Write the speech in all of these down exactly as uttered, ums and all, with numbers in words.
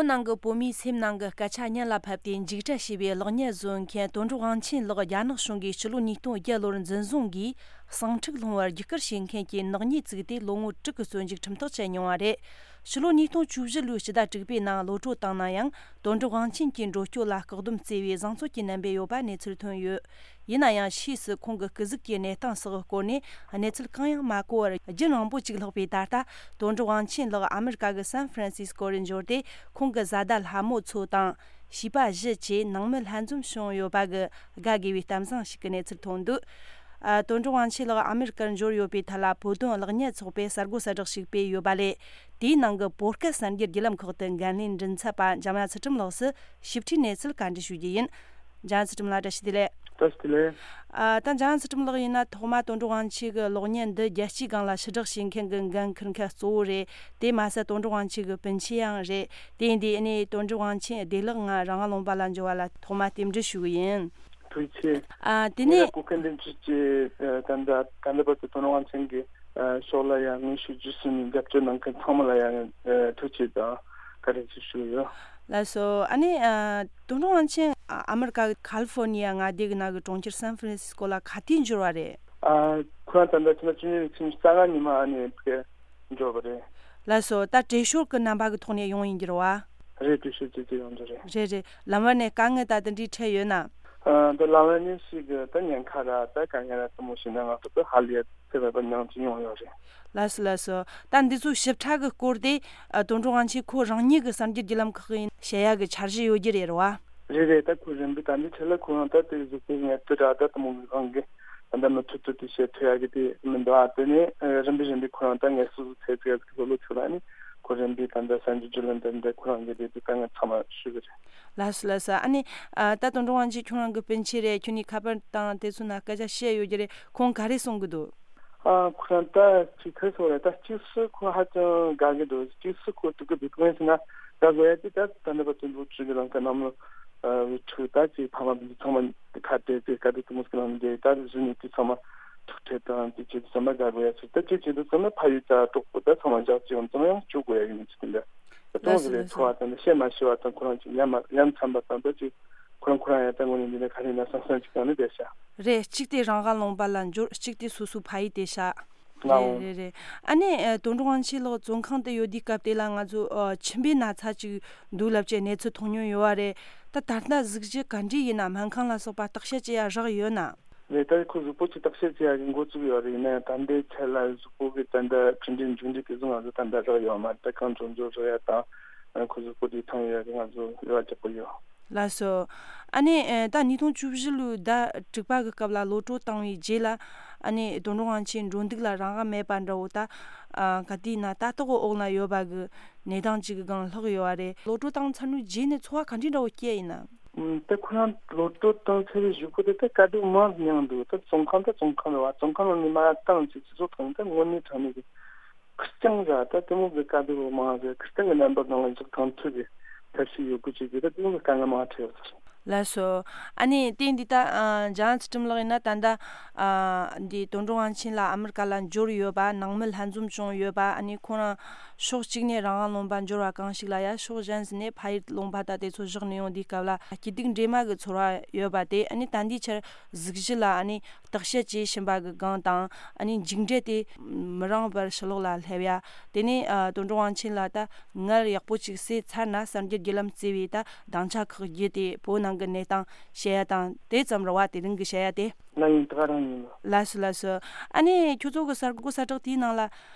ནང་གི་བོད་མིའི་སེམས་ནང་གི་སྐད་ཆ་སྙན་ལ་ཕབ་སྟེ་འཇིགས་སྐྲག་བྱས་པའི་གློག་བརྙན་བཟོ་མཁན་དོན་གྲུབ་དབང་ཆེན་ལགས་རྒྱ་ནག་གཞུང་གིས་ཕྱི་ལོ་ཉིས་སྟོང་བརྒྱད་ལོར་འཛིན་བཟུང་གིས་ཟིང་འཁྲུག་སློང་བར་རྒྱུག་སྐུལ་བྱེད་མཁན་གྱི་ནག་ཉེས་བཙུགས་ཏེ་ལོ་ངོ་དྲུག་གི་བཙོན་འཇུག་ཁྲིམས་ཐག་བཅད་མྱོང་བ་རེད། ཕྱི་ལོ་ཉིས་སྟོང་བཅུ་བཞི་ལོའི་སྤྱི་ཟླ་དྲུག་པའི་ནང་གློད་གྲོལ་བཏང་ན་ཡང་དོན་གྲུབ་དབང་ཆེན་གྱི་འགྲོ་སྐྱོད་ལ་བཀག་སྡོམ་བརྩི་བའི་བཟང་ཚོད་ཀྱི་རྣམ་པས་ཡོད་པ་གནས་ཚུལ་ཐོན་ཡོད། ཡིན་ན་ཡང་ཕྱིས་སུ་ཁོང་གི་སྐུ་གཟུགས་ཀྱི་གནས་སྟངས་སོགས་སྐོར་ནས་གནས་ཚུལ་གང་ཡང་མ་གོ་བར་རྒྱུན་རིང་པོ་ཅིག་ལྷག་པའི་ད་ལྟ་དོན་གྲུབ་དབང་ཆེན་ལགས་ཨ་མི་རི་ཀ་གི་སན་ཧྥ་རན་སིས་ཀོ་རུ་འབྱོར་ཏེ་ཁོང་གི་བཟའ་ཟླ་ལྷ་མོ་མཚོ་དང་བྱིས་པ་བཞི་བཅས་ནང་མི་ལྷན་འཛོམས་བྱུང་ཡོད་པ་གི་དགའ་དགོས་པའི་གཏམ་བཟང་ཞིག་གི་གནས་ཚུལ་ཐོན་འདུག་ཨ། དོན་གྲུབ་དབང་ཆེན་ལགས་ཨ་མི་རི་ཀར་འབྱོར་ཡོད་པའི་ཐད་ལ་བོད་དོན་གློག་བརྙན་ཚོགས་པས་གསར་འགོད་གསལ་བསྒྲགས་ཤིག་སྤེལ་ཡོད་པ་ལས། དེའི་ནང་གི་བོད་སྐད་གསར་འགྱུར་བརྒྱུད་ལམ་ཁག་ཏུ་འགན་ལེན་མགྲིན་ཚབ་པ་འཇམ་དབྱངས་ཚུལ་ཁྲིམས་ལགས་སུ་ཞིབ་ཕྲའི་གནས་ཚུལ་བཀའ་འདྲི་ཞུ་རྒྱུ་ཡིན། འཇམ་དབྱངས་ཚུལ་ཁྲིམས་ལགས་བཀྲ་ཤིས་བདེ་ལེགས། བཀྲ་ཤིས་བདེ་ལེགས། ཨ། ད་འཇམ་དབྱངས་ཚུལ་ཁྲིམས་ལགས་ཡིན་ན་ཐོག་མ་དོན་གྲུབ་དབང་ཆེན་གྱི་གློག་བརྙན་འདི་རྒྱལ་སྤྱིའི་སྒང་ལ་ཕྱིར་བསྒྲགས་བྱེད་མཁན་གྱི་འགན་འཁུར་མཁན་གཙོ་བོ་རེད། དེ་མ་ཟད་དོན་གྲུབ་དབང་ཆེན་གྱི་སྤུན་མཆེད་ཡང་རེད། དེ་ཡིན་དུས་ཨ་ནི་དོན་གྲུབ་དབང་ཆེན་བདེ་ལེགས་ང་རང་དབང་ལུང་པ་ལ་འབྱོར་བ་ལ་ཐོག་མ་རྟེན་འབྲེལ་ཞུ་གི་ཡིན། ཐུགས་རྗེ་ཆེ། ཨ། དེ་ངེད་ནས་ལ་གོ་སྐབས་འདི་འཇུས་ཀྱི་ད་ལྟ་ད་ལྟ་བར་དུ་དོན་གྲུབ་དབང་ཆེན་གྱི་ཕྱོགས་ལ་ཡང་ངས་ཞུ་རྒྱུ་ཟིན་ནས་རྒྱབ་སྐྱོར་གནང་མཁན་ཚང་མ་ལ་ཡང་ཐུགས་རྗེ་ཆེ་དང་བཀའ་དྲིན་ཆེ་ཞུ་ཡོད། ལགས་སོ། ཨ་ནི་ཨ། དོན་གྲུབ་དབང་ཆེན་ཨ་མི་རི་ཀ་གི་ཁ་ལི་ཧྥོར་ནི་ཡ་མངའ་སྡེ་གི་ནང་གི་གྲོང་ཁྱེར་སན་ཧྥ་རན་སིས་ཀོ་ལ་ག་དུས་འབྱོར་བ་རེད། ཨ། ཁོ་རང་ད་ལྟ་ཕྱི་ཟླ་བཅུ་གཉིས་ཚེས་ཉི་ཤུ་རྩ་ལྔ་ཉིན་མ་ཨ་ནི་ཕ་གིར་འབྱོར་བ་རེད། ལགས་སོ། ད་བྲེལ་ཞོར་གྱི་རྣམ་པ་གི་ཐོག་ནས་ཡོང་ཡིན་གྱི་རེད་བ། རེད། བྲེལ་ཞོར་ཅིག་ཅིག་ཡོང་གི་རེད། རེད་རེད། ལམ་བར་ནས་དཀའ་ངལ་ད་དེ་འདྲའི་འཕྲད་ཡོད་ན། ཨ། ད་ལམ་བར་ནས་ཞིག་གི་ད་ཉེན་ཁ་ར་ད་དཀའ་ངལ་ར་དེ་མོ་ཞིག་ན་ང་ཚོ་ད་ཧ་ལས་ཚེ་བར་པ་མྱངས་ཀྱི་ཡོང་ཡོད་རེད། ལགས་སོ་ལགས་སོ། ད་འདི་ཚོ་ཞིབ་ཕྲ་གི་སྐོར་དེ་ཨ། དོན་གྲུབ་དབང་ཆེན་ཁོ་རང་ཉིད་ཀྱི་གསར་འགྱུར་བརྒྱུད་ལམ་ཁག་གིས་བཤད་ཡ་གི་འཆར་གཞི་ཡོད་རྒྱུ་རེད་རེད་བ། རེད་རེད། ད་ཁོ་རིམ་པས་ད་འདི་ཆེད་ལ་ཁོ་རང་ད་དེ་གཟུགས་པོ་ངལ་དུ་ར་ད་དེ་མོ་གི་སྒང་གི་ད་ད་མུ་མཐུད་དུ་དེ་བཤད་ཐུབ་ཡ་གི་དེ་མི་འདུག་ཨ། དེ་ནས་ཨ། རིམ་པས་རིམ་པས་ཁོ་རང་ད་ངལ་གསོ་ཚོ་ཚད་ཚད་གི་ལོ་ལོ་ཚོད་ལ་ནི་ཁོ་རིམ་པས་ད་ད་གསར་འགྱུར་བརྒྱུད་ལམ་དེ་འདྲ་ཁོ་རང་གི་དེ་དེ་ད་ང་ཚང་མ་ཞུ་གི་རེད། ལགས་སོ་ལགས་སོ། ཨ་ནི་ཨ། ད་དོན་གྲུབ་དབང་ཆེན་ཁྱོད་རང་གི་སྤུན་མཆེད་རེད། ཁྱོད་ནི་ཁ་པར་དང་དེ་ཚོ་ན་སྐད་ཆ་བཤད་ཡོད་རྒྱུ་རེད། ཁོང་ག་རེ་གསུང་གི་འདུག་ཨ། ཁོ་རང་ད་ཅིག་ཁ་སོ་རེད། ད་གཅིག་སུ་ཁོ་ཧ་ཅང་དགའ་གི་འདུག་གཅིག་སུ་ཁོ་སྡུག་གི་འདུག་དོན་ཟེར་ན་དགའ་དགོས་ཡ་དེ་ད་ད་ནི་བ་དུ་འདུག་ཅིག་གི་ལང་ཀ་ནམ་ལོ་ཨ། བུ་ཕྲུག་ད་ཅིག་ཕ་མ་འདི་ཚང་མ་ཁ་བྲལ་ཏེ་དཀའ་སྡུག་དུ་མོ་སྐྱེ་ལང་འདི་ད་གཟུགས་ནི་དེ་ཚང་མ་ཐུག་འཕྲད་དང་དེ་ཅིག་ཚང་མ་དགའ་དགོས་ཡ་ཚོ་ད་ཅིག་ཅིག་འདུག་ཚང་མ་ཕ་ཡུལ་ད་གྲོགས་པོ་ད་ཚང་མ་འཇག་ཅིག་ཡོང་ཚང་མ་ཡང་བཅུག་དགོས་ཡ་ཡིན་ཅིག་དེ་འདྲ། ད་ལྟ་ལགས་སོ་གི་ལགས་སོ། འཚོ་བ་དང་བཤད་མ་ཤེས་པ་དང་ཁོ་རང་ཅིག་ཡ་མ་ཡ་མཚན་པ་དང་ད་ཅིག་ཁོ་རང་ཁོ་རང་ཡ་ད་དངོས་གནས་འདི་ནས་ག་རེ་ཡིན་ན་སང་སང་ཅིག་གང་ནས་བསྡད་ཤག་རེད། གཅིག་དེ་རང་དབང་ལུང་པ་ལ་འབྱོར། གཅིག་དེ་སོ་སོའི་ཕ་ཡུལ་དེ་ཤག་རེད་ལའོ། རེད་རེད། ཨ་ནི་ཨ། དོན་གྲུབ་དབང་ཆེན་ལགས་བཙོན་ཁང་དུ་ཡོད་དུས་སྐབས་དེ་ལ་ང་ཚོ་ཨ། མཆིན་པའི་ན་ཚ་ཅིག་འདུག་ལབ་ཅེས་གནས་ཚུལ་མཐོང་མྱོང་ཡོད་བ་རེད། ད་ད་ལྟ་གཟུགས་གཞི་ག་འདྲ་ཡིན་ན་སྨན་ཁང་ལ་སོགས་པ་བརྟག་དཔྱད་བྱེད་ཡ་རག་ཡོད་ན། རེད། ད་ཁོ་གཟུགས་པོ་ཅིག་བརྟག་དཔྱད་བྱེད་ཡ་གི་འགོ་བཙུགས་ཡོད་རེད། ཡིན་ན་ཡང་ད་ལྟའི་ཆ་ལ་གཟུགས་པོ་གི་ད་ལྟ་འཕྲིན་ཕྲན་མཇུག་འབྲས་དེ་ཚོ་ང་ཚོ་ད་ལྟ་རག་ཡོད་མ་རེད། ད་གང་བྱུང་བྱུང་རག་ཡ་དང་ཁོ་གཟུགས་པོ་དེ་ཐང་ཡོད་ཡ་གི་ང་ཚོ་རེ་བ་རྒྱག་གི་ཡོད། ལགས་སོ། ཨ་ནི་ཨེ། ད་ཉིས་སྟོང་བཅུ་བཞི་ལོའི་ཟླ་དྲུག་པ་གི་སྐབས་ལ་གློད་གྲོལ་བཏང་བའི་རྗེས་ལ་ཨ་ནི་དོན་གྲུབ་དབང་ཆེན་འགྲོ་འདུག་ལ་རང་དབང་མེད་པ་འདྲ་བོ་ད་ཨ། ག་དུས་ན་ལྟ་རྟོག་གི་འོག་ན་ཡོད་པ་གི་གནས་སྟངས་ཅིག་གི་སྒང་ལྷག་ཡོད་བ་རེད། གློད་གྲོལ་བཏང་ཚར་ནས་རྗེས་ནས་འཚོ་བ་ག་འདྲ་འདྲ་བོ་སྐྱེལ་ཡིན་ན། ཨུམ། ད་ཁོ་རང་གློད་གྲོལ་བཏང་ཚར་བའི་གཞུག་གུ་དེ་ད་དཀའ་སྡུག་མང་མྱངས་འདུག་ད་བཙོན་ཁང་ད་བཙོན་ཁང་རེད་བ། བཙོན་ཁང་ནང་ནས་མར་བཏང་ཅིག་སྤྱི་ཚོགས་ཐོག་ནས་ད་དངོས་གནས་དྲང་གནས་ཀྱི་ཁེར་རྐྱང་ར་ད་དེ་མོ་གི་དཀའ་སྡུག་མང་ཟེར་ཁེར་རྐྱང་གི་རྣམ་པ་སྒང་ལ་འཇོག་གང་ཐུབ་ཀྱི་ཐབས་ཤེས་ཡོད་དགུ་བྱེད་ཀྱི་ད་དེ་མོ་གི་དཀའ་ངལ་མང་འཕྲད་ཡོད་ས་རེད། ལགས་སོ། ཨ་ནི་དེ་འདི་ད་ཨ། འཇམ་དབྱངས་ཚུལ་ཁྲིམས་ལགས་ཡིན་ན་ད་ལྟ་ཨ། འདི་དོན་གྲུབ་དབང་ཆེན་ལགས་ཨ་མི་རི་ཀ་ལ་འབྱོར་ཡོད་པ། ནང་མི་ལྷན་འཛོམས་བྱུང་ཡོད་པ། ཨ་ནི་ཁོ་རང་ཕྱོགས་གཅིག་ནས་རང་དབང་ལུང་པ་འབྱོར་བ་གང་ཞིག་ལ་ཡ་ཕྱོགས་གཞན་ཞིག་ནས་ཕ་ཡུལ་ལུང་པ་ད་དེ་ཚོ་བཞག་ནས་ཡོང་དུས་སྐབས་ལ་སྐྱིད་སྡུག་འདྲེས་མ་གི་ཚོར་བ་ཡོད་པ་དེ། ཨ་ནི་ད་འདིའི་ཆར་གཟུགས་གཞི་ལ་ཨ་ནི་བརྟག་དཔྱད་བྱེད་བཞིན་པ་གི་སྒང་དང་། ཨ་ནི་མཇུག་འབྲས་དེ་མི་རིང་བར་ཕྱི་ལོགས་ལ་སླེབས་ཡ། དེ་ནས་ཨ། དོན་གྲུབ་དབང་ཆེན་ལགས་ད་ངལ་ཡག་པོ་ཅིག་སེལ་ཚར་ན་གསར་འགྱུར་བརྒྱུད་ལམ་བརྩི་བའི་ད་སྡིངས་ཆ་ཁག་བརྒྱུད་དེ་བོད་ནང་གི་གནས་སྟངས་བཤད་ཡ་དང་དེ་ཙམ་རེད་བ། དེ་རིང་གི་བཤད་ཡ་དེ། ང་ཡིན་ད་ག་རང་ཡིན་ལ། ལགས་སོ་ལགས་སོ། ཨ་ནི་ཁྱོད་ཚོ་གི་གསར་འགོད་གསལ་བསྒྲགས་དེའི་ནང་ལ་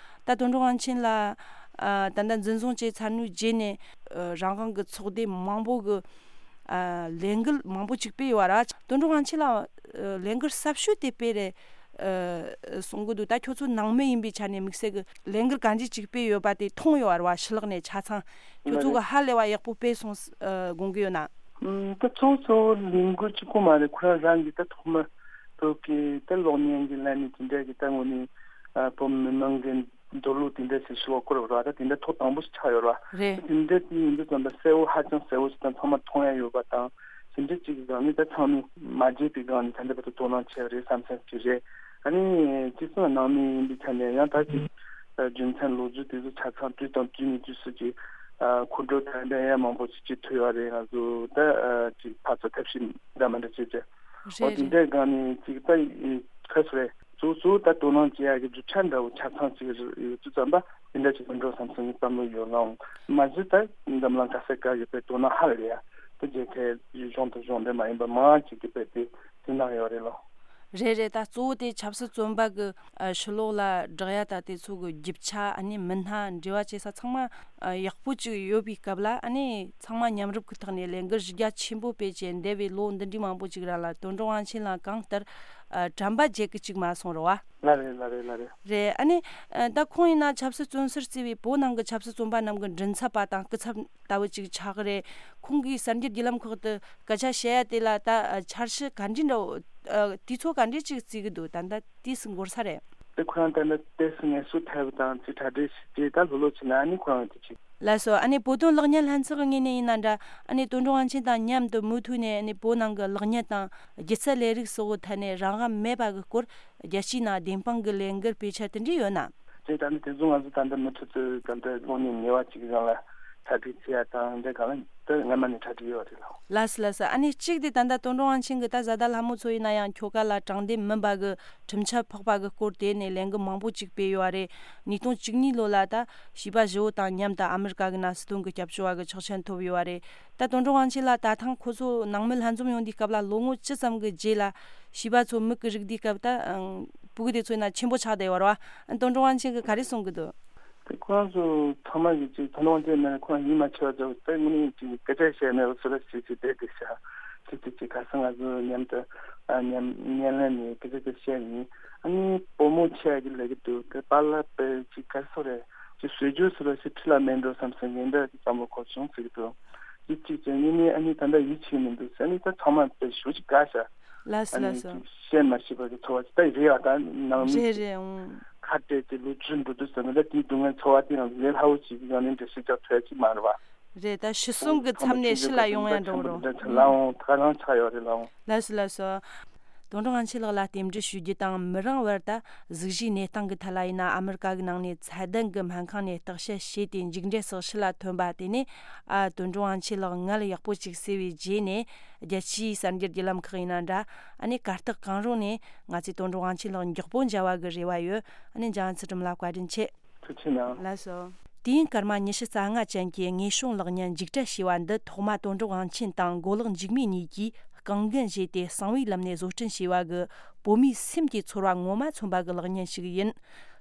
ད་དོན་གྲུབ་དབང་ཆེན་ལགས་ཨ། ད་ལྟ་འཛིན་བཟུང་བྱས་ཚར་ནས་རྗེས་ནས་ཨ། རང་དབང་གི་ཚོགས་སྡེ་མང་པོ་གི་ཨ། ལས་འགུལ་མང་པོ་ཅིག་སྤེལ་ཡོད་ར། དོན་གྲུབ་དབང་ཆེན་ལགས་ཨ། ལས་འགུལ་ཟབ་ཤོས་དེ་སྤེལ་རེད་ཨ། གསུང་གི་འདུག་ད་ཁྱོད་ཚོ་ནང་མི་ཡིན་པའི་ཆ་ནས་དམིགས་བསལ་གི་ལས་འགུལ་ག་འདྲ་ཅིག་སྤེལ་ཡོད་པ་དེ་མཐོང་ཡོད་ར་བ། ཕྱི་ལོགས་ནས་ཆ་ཚང་ཁྱོད་ཚོ་གི་ཧ་ལས་པ་ཡག་པོ་སྤེལ་སོང་ཨ། དགོངས་ཀྱི་ཡོད་ན། ཨུམ། ད་ཚོགས་གཙོ་བོ་ལས་འགུལ་གཅིག་པོ་མ་རེད། ཁོ་རང་རང་གི་ད་ཐོག་མ་བོད་ཀྱི་ད་གློག་བརྙན་གྱི་ལམ་ནས་དེ་འདྲ་གི་ད་དངོས་གནས་ཨ། བོད་མི་མང་གི་འདོད་བློ་དེ་འདྲ་ཞིག་ཞུ་བ་སྐོར་བ་ར། ད་དེ་འདྲ་ཐོག་དང་པོ་ཞིག་ཆགས་ཡོད་ར། རེད། དེ་འདྲ་དེ་ཡིན་དུས་ཙམ་པ་གསལ་བོ་ཧ་ཅང་གསལ་བོ་ཞིག་དང་ཚང་མ་མཐོང་ཡ་ཡོད་པ་དང་། དེ་འདྲ་གཅིག་གི་སྒང་ནས་ད་ཚང་མས་མ་བརྗེད་པའི་སྒང་ནས་ད་འདི་བར་དུ་དོ་སྣང་བྱས་པ་རེད་བསམ་བསམ་ཞིག་རེད། ཨ་ནི་དེ་ཚོ་ནང་མི་ཡིན་པའི་ཆ་ནས་ཡང་ད་ཅིག་རྒྱུ་མཚན་ལོ་རྒྱུས་དེ་ཚོ་ཆ་ཚང་དུས་དང་དུས་ནས་དུས་སུ་ཅིག་ ཨ་ཁོང་ཁྲོ་དང་འདྲ་ཡ་མང་པོ་ཞིག་ཅིག་ཐོས་པ་རེད། ང་ཚོ་ད་ཨ་ཅིག་ཕར་ཚུར་ཐབས་ཤེས་འདྲ་མི་འདྲ་བྱས་བྱས། འོ་རེད་དེ་རེད། འདྲའི་སྒང་ནས་ཅིག་ད་ཁ་སོ་རེད། གཙོ་གཙོ་ད་དོ་སྣང་བྱེད་ཡ་གི་རྒྱུ་ཆ་འདྲ་བོ་ཆ་ཚང་ཅིག་ཡོད་དུས་ཙམ་པ་དེ་འདྲ་ཅིག་མི་འགྲོ་བསམ་སོང་ངས་བསམ་བློ་ཡོད་ལ། འོང་མ་གཞི་ད་འཛམ་གླིང་ག་ས་ག་ཡོད་པའི་དོ་སྣང་ཧ་ལས་ཡ་ད་རྒྱལ་ཁའི་གཞུང་དང་གཞུང་འབྲེལ་མ་ཡིན་པ་མང་ཅིག་གིས་དཔེ་དེ་དེ་གནང་ཡོད་རེད་ལ། རེད་རེད། ད་གཙོ་བོ་དེ་ཆབ་སྲིད་བཙོན་པ་གི་ཨ་ཕྱི་ལོགས་ལ་བསྒྲགས་ཡ་ད་དེ་ཚོ་གི་རྒྱུ་ཆ། ཨ་ནི་མི་སྣ་འབྲེལ་བ་བྱེད་ས་ཚང་མ་ཨ་ཡག་པོ་ཅིག་ཡོད་པའི་སྐབས་ལ། ཨ་ནི་ཚང་མ་མཉམ་རུབ་ཀྱི་ཐོག་ནས་ལས་འགུལ་གཞི་རྒྱ་ཆེན་པོ་སྤེལ་བྱས། འདས་པའི་ལོ་འདི་འདྲའི་མང་པོ་ཅིག་རིང་ལ་དོན་གྲུབ་དབང་ཆེན་ལགས་གང་ལྟར་ཨ་དྲན་པ་བརྗེད་གི་ཅིག་མ་སོང་རེད་བ། ལ་རེད་ལ་རེད་ལ་རེད། རེད། ཨ་ནི་ཨ་ད་ཁོང་ཡིན་ན་ཆབ་སྲིད་བཙོན་ཟུར་བརྩི་བའི་བོད་ནང་གི་ཆབ་སྲིད་བཙོན་པ་རྣམས་ཀྱི་མགྲིན་ཚབ་པ་དང་སྐུ་ཚབ་ལྟ་བུ་ཅིག་ཆགས་ཀྱི་རེད། ཁོང་གིས་གསར་འགྱུར་བརྒྱུད་ལམ་ཁག་ཏུ་སྐད་ཆ་བཤད་ཡ་དེ་ལ་ད་ཨ་འཆར་གཞི་ག་འདྲ་འདྲ་བོ་ཨ་དུས་ཚོད་ག་འདྲ་ཅིག་བརྩི་གི་འདུག་ད་ལྟ་དུས་སུ་འགོར་ས་རེད། དེ་ཁོ་རང་ད་ལྟ་ཏོག་ཙམ་ངལ་གསོ་ཐེབས་དང་ཅིག་གྲ་སྒྲིག་བྱས། ད་ལྷོད་ལྷོད་བྱས་ན་ཨ་ནི་ཁོ་རང་དེ་བྱེད། ལགས་སོ། ཨ་ནི་བོད་དོན་ལེགས་ཉེས་ལྷན་ཚོགས་ཀྱི་ངོས་ནས་ཡིན་ན་འདྲ། ཨ་ནི་དོན་གྲུབ་དབང་ཆེན་དང་མཉམ་དུ་མུ་མཐུད་ནས་ཨ་ནི་བོད་ནང་གི་ལེགས་ཉེས་དང་སྒྱུ་རྩལ་ལས་རིགས་སོགས་ཀྱི་ཐད་ནས་རང་དབང་མེད་པ་གི་སྐོར་རྒྱལ་སྤྱིའི་ནང་བདེན་དཔང་གི་ལས་འགུལ་སྤེལ་འཆར་དེ་འདྲ་ཡོད་ན། དེ་ད་ནི་དེ་ཚོ་ང་ཚོ་ད་ལྟ་མུ་མཐུད་དུ་ད་ལྟ་གློག་བརྙན་ཉེ་བ་གཅིག་གི་སྒང་ལ་གྲ་སྒྲིག་བྱེད་ཡ་དང་འདྲ་སྒང་ལ་ད་སྔ་མ་ནས་གྲ་སྒྲིག་ཡོད་རེད་ལགས། ལགས་སོ་ལགས་སོ། ཨ་ནི་གཅིག་དེ་ད་ལྟ་དོན་གྲུབ་དབང་ཆེན་གྱིས་ད་བཟའ་ཟླ་ལྷ་མོ་མཚོ་ཡིན་ན་ཡང་ཁྱོ་ག་ལ་དྲང་བདེན་མིན་པ་གི་ཁྲིམས་ཆད་ཕོག་པ་གི་སྐོར་དེ་ནས་ལས་འགུལ་མང་པོ་ཅིག་སྤེལ་ཡོད་རེད། ཉིས་སྟོང་བཅུ་གཉིས་ལོ་ལ་ད་བྱིས་པ་བཞི་བོ་དང་མཉམ་དུ་ཨ་མི་རི་ཀ་གི་ནང་སྲིད་དོན་གྱི་སྐྱབས་བཅོལ་བ་གི་ཆོག་མཆན་ཐོབ་ཡོད་རེད། ད་དོན་གྲུབ་དབང་ཆེན་ལགས་ད་ཐེངས་ཁོ་ཚོ་ནང་མི་ལྷན་འཛོམས་ཡོང་དུས་སྐབས་ལ་ལོ་ངོ་བཅུ་ཙམ་གྱི་རྗེས་ལ་བྱིས་པ་ཚོ་མིག་གིས་རིག་དུས་སྐབས་ད་ཨང་ཕྲུ་གུ་དེ་ཚོ་ཡིན་ན་ཆེན་པོ་ཆགས་བསྡད་ཡོད་རེད་བ། དོན་གྲུབ་དབང་ཆེན་གྱིས་ག་རེ་གསུང་གི་འདུག་དེ་ཁོ་རང་ཚོ་ཚང་མ་གིས་ཅིག་ད་ནང་དེ་ནས་ཁོ་རང་ཡིད་མ་ཆེས་པ་ཚོ་དེ་དངོས་གནས་ཅིག་སྐད་ཆ་བཤད་མེད་པ་ཚོ་ལ་ཅིག་ཅིག་བསྡད་དེ་བྱ་ཅིག་ཅིག་ཅིག་ག་ས་ང་ཚོ་མཉམ་དུ་ཨ་མཉམ་བརྙན་ལེན་ནས་སྐད་ཆ་དེ་བཤད་ཡིན། ཨ་ནི་བུ་མོ་ཆེ་གི་ལས་ཀྱི་འདུག་དེ་པཱ་ལགས་པས་ཅིག་ག་རེ་ཟེར་རེད། ཅིག་བཟོས་རྒྱུ་ཟེར་བ་ཞིག་ཁྲི་ལ་མེད་འགྲོ་བསམ་སོང་། ངས་འདྲ་གི་བསམ་བློ་འཁོར་བྱུང་ཟེར་གི་འདུག་ཅིག་ཅིག་ཅིག་ངས་ནི་ཨ་ནི་ད་ལྟ་ཡིད་ཆེས་མི་འདུག་ཟེར་ནི་ད་ཚང་མ་དཔེ་ཞུ་ཅིག་དགའ་ཤག་ལགས་སོ་ཨ་ནི་ལགས་སོ། ཅིག་བཤད་མ་ཤེས་པ་གི་ཚོར་བ་ཅིག་ད་རེད་ཡ། ད་ནང་མི་རེད་ཅིག་རེད། ཨང་། ཁ་བྲལ་ཏེ་ལོ་བཅུ་འགྲོ་དུས་ཙམ་པ་ད་དེའི་སྡུག་བསྔལ་ཚོར་བ་དེ་ཡང་ལས་སླ་བོ་ཅིག་ཡང་ནི་འགྲེལ་བཤད་རྒྱག་ཐུབ་ཡ་ཅིག་མ་རེད་བ། རེད། ད་ཤི་གསོན་གྱི་མཚམས་ནས་ཕྱི་ལ་ཡོང་ཡ་འགྲོ་རོགས། ལའང་ད་ག་རང་ཆགས་ཡོད་རེད་ལའང་། ལགས་སོ་ལགས་སོ། དོན་གྲུབ་དབང་ཆེན་ལགས་ལ་རྟེན་འབྲེལ་ཞུ་རྒྱུ་དང་། མི་རིང་བར་ད་གཟུགས་གཞིའི་གནས་སྟངས་ཀྱི་ཐད་ལ་ཡིན་ན་ཨ་མི་རི་ཀ་གི་ནང་ནས་ཚད་ལྡན་གྱི་སྨན་ཁང་ནས་བརྟག་དཔྱད་བྱས་ཏེ་མཇུག་འབྲས་སོགས་ཕྱི་ལ་ཐོན་པ་དེ་ནས་ཨ་དོན་གྲུབ་དབང་ཆེན་ལགས་མངལ་ཡག་པོ་ཅིག་གསོས་པའི་རྗེས་ནས་རྒྱལ་སྤྱིའི་གསར་འགྱུར་བརྒྱུད་ལམ་ཁག་ཡིན་ན་འདྲ། ཨ་ནི་གར་སྟེགས་གང་རུང་ནས་ང་ཚོས་དོན་གྲུབ་དབང་ཆེན་ལགས་མགྱོགས་པོ་མཇལ་བ་གི་རེ་བ་ཡོད། ཨ་ནི་འཇམ་དབྱངས་ཚུལ་ཁྲིམས་ལགས་བཀའ་དྲིན་ཆེ། ཐུགས་ཆེ་གནང་། ལགས་སོ། དུས་ཡུན་སྐར་མ་ཉི་ཤུ་རྩ་ལྔ་ཅན་གྱི་དངོས་བྱུང་གློག་བརྙན་མཇུག་སྒྲིལ་བྱས་པ་འདི་ཐོག་མ་དོན་གྲུབ་དབང་ཆེན་དང་མགོ་ལོག་འཇིགས་མེད་གཉིས་ཀྱིས་རྐང་འགན་བཞེས་ཏེ་གསང་བའི་ལམ་ནས་བཟོ་སྐྲུན་བྱས་པ་གི་བོད་མིའི་སེམས་ཀྱི་ཚོར་བ་ངོ་མ་མཚོན་པ་གི་གློག་བརྙན་ཞིག་ཡིན།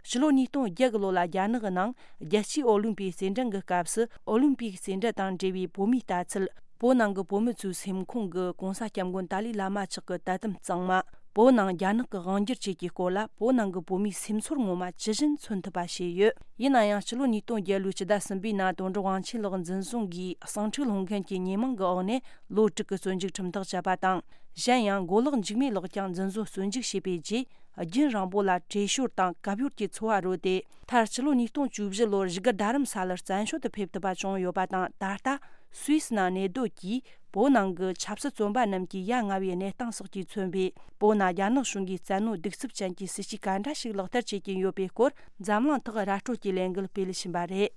ཕྱི་ལོ་ཉིས་སྟོང་བརྒྱད་གི་ལོ་ལ་རྒྱ་ནག་གི་ནང་རྒྱལ་སྤྱིའི་ཨོ་ལིམ་པིག་རྩེད་འགྲན་གྱི་སྐབས་སུ་ཨོ་ལིམ་པིག་རྩེད་འགྲན་དང་འབྲེལ་བའི་བོད་མིའི་ལྟ་ཚུལ། བོད་ནང་གི་བོད་མི་ཚོའི་སེམས་ཁོང་གི་༸གོང་ས་༸སྐྱབས་མགོན་ཏཱ་ལའི་བླ་མ་མཆོག་གི་དད་དམ་གཙང་མ། བོད་ནང་རྒྱ་ནག་གི་དབང་སྒྱུར་བཅས་ཀྱི་སྐོར་ལ་བོད་ནང་གི་བོད་མིའི་སེམས་ཚོར་ངོ་མ་ཇི་བཞིན་མཚོན་ཐུབ་པ་བྱས་ཡོད། ཡིན་ན་ཡང་ཕྱི་ལོ་ཉིས་སྟོང་བརྒྱད་ལོའི་སྤྱི་ཟླ་གསུམ་པའི་ནང་དོན་གྲུབ་དབང་ཆེན་ལགས་འཛིན་བཟུང་གིས་གསང་འཕྲུལ་སློང་མཁན་གྱི་ཉེས་མིང་གི་འོག་ནས་ལོ་དྲུག་གི་བཙོན་འཇུག་ཁྲིམས་ཐག་བཅད་པ་དང་། གཞན་ཡང་མགོ་ལོག་འཇིགས་མེད་ལགས་ཀྱང་འཛིན་བཟུང་བཙོན་འཇུག་བྱས་པའི་རྗེས། རྒྱུན་རིང་པོ་ལ་བྲེལ་ཞོར་དང་གབ་ཡོར་གྱི་འཚོ་བ་རོལ་ཏེ། མཐར་ཕྱི་ལོ་ཉིས་སྟོང་བཅུ་བཞི་ལོར་བཞུགས་སྒར་རྡ་རམ་ས་ལར་བཙན་བྱོལ་དུ་ཕེབས་ཐུབ་པ་བྱུང་ཡོད་པ་དང་། ད་ལྟ་སུད་སི་ནང་གནས་སྡོད་ཀྱིས་བོད་ནང་གི་ཆབ་སྲིད་བཙོན་པ་རྣམས་ཀྱི་ཡ་ང་བའི་གནས་སྟངས་སོགས་ཀྱིས་མཚོན་པའི་བོད་ནང་རྒྱ་ནག་གཞུང་གིས་བཙན་གནོན་གདུག་རྩུབ་ཅན་གྱི་སྲིད་བྱུས་ག་འདྲ་ཞིག་ལག་བསྟར་བྱེད་ཀྱིན་ཡོད་པའི་སྐོར་འཛམ་གླིང་ཐོག་ར་སྤྲོད་ཀྱི་ལས་འགུལ་སྤེལ་བཞིན་པ་རེད།